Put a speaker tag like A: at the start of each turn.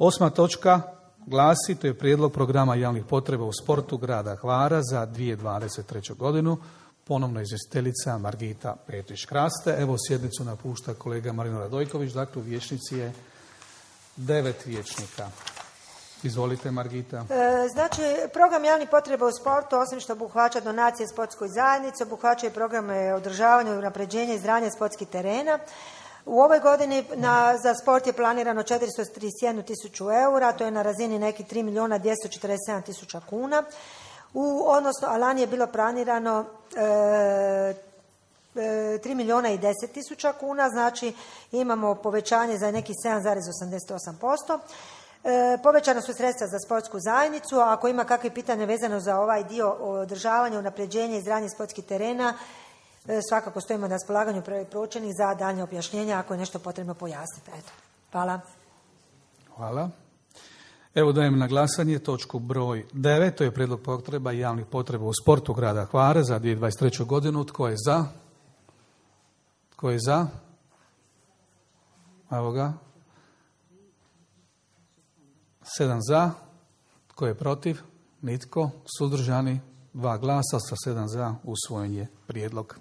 A: 8. točka glasi, to je prijedlog programa javnih potreba u sportu grada Hvara za 2023. godinu. Ponovno izvjestiteljica Margita Petrić-Kraste. Evo, sjednicu napušta kolega Marino Radojković, dakle u vijećnici je 9 vijećnika. Izvolite, Margita.
B: Znači, program javnih potreba u sportu, osim što obuhvaća donacije sportskoj zajednici, obuhvaća i programe održavanja, unapređenja i izgradnje sportskih terena. U ovoj godini za sport je planirano 431 tisuću eura, to je na razini nekih 3 milijuna 247 tisuća kuna. A lani je bilo planirano 3 milijuna i 10 tisuća kuna, znači imamo povećanje za nekih 7,88%. Povećana su sredstva za sportsku zajednicu, a ako ima kakve pitanje vezano za ovaj dio održavanja, unapređenja i izgradnje sportskih terena, svakako stojimo na raspolaganju pročelnih za daljnje objašnjenja ako je nešto potrebno pojasniti. Eto. Hvala.
A: Hvala. Evo dajem na glasanje točku broj 9, to je prijedlog potreba i javnih potreba u sportu grada Hvara za 2023. godinu. Tko je za? Tko je za? Evo ga. 7 za. Tko je protiv? Nitko. Suzdržani? 2 glasa, sa 7 za usvojen je prijedlog.